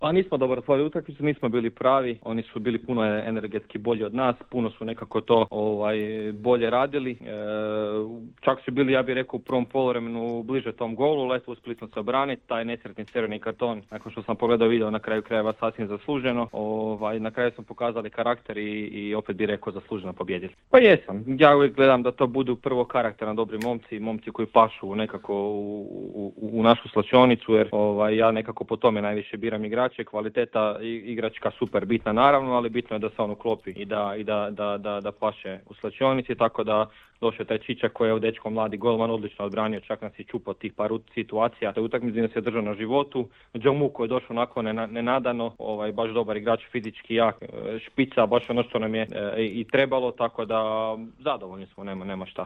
Pa nismo dobro otvorili utakmicu, nismo bili pravi, oni su bili puno energetski bolji od nas, puno su nekako to bolje radili. Čak su bili, ja bih rekao, u prvom poluvremenu bliže tom golu, Leto uspjeli smo se obraniti, taj nesretni crveni karton, nakon što sam pogledao video na kraju krajeva sasvim zasluženo. Na kraju smo pokazali karakter i opet bih rekao zasluženo pobjedili. Pa jesam, ja uvijek gledam da to budu prvo karakterno dobri momci koji pašu nekako u našu slačionicu, jer ja nekako po tome najviše biram igrače. Kvaliteta igračka super bitna naravno, ali bitno je da se on uklopi i da paše u slačionici, tako da došao taj Čičak koji je dečko mladi golman, odlično odbranio, čak nas je čupao tih par situacija. Te utakmici nas je držao na životu. Džomu koji je došao onako nenadano, baš dobar igrač, fizički jak, špica, baš ono što nam je i trebalo, tako da zadovoljni smo, nema šta.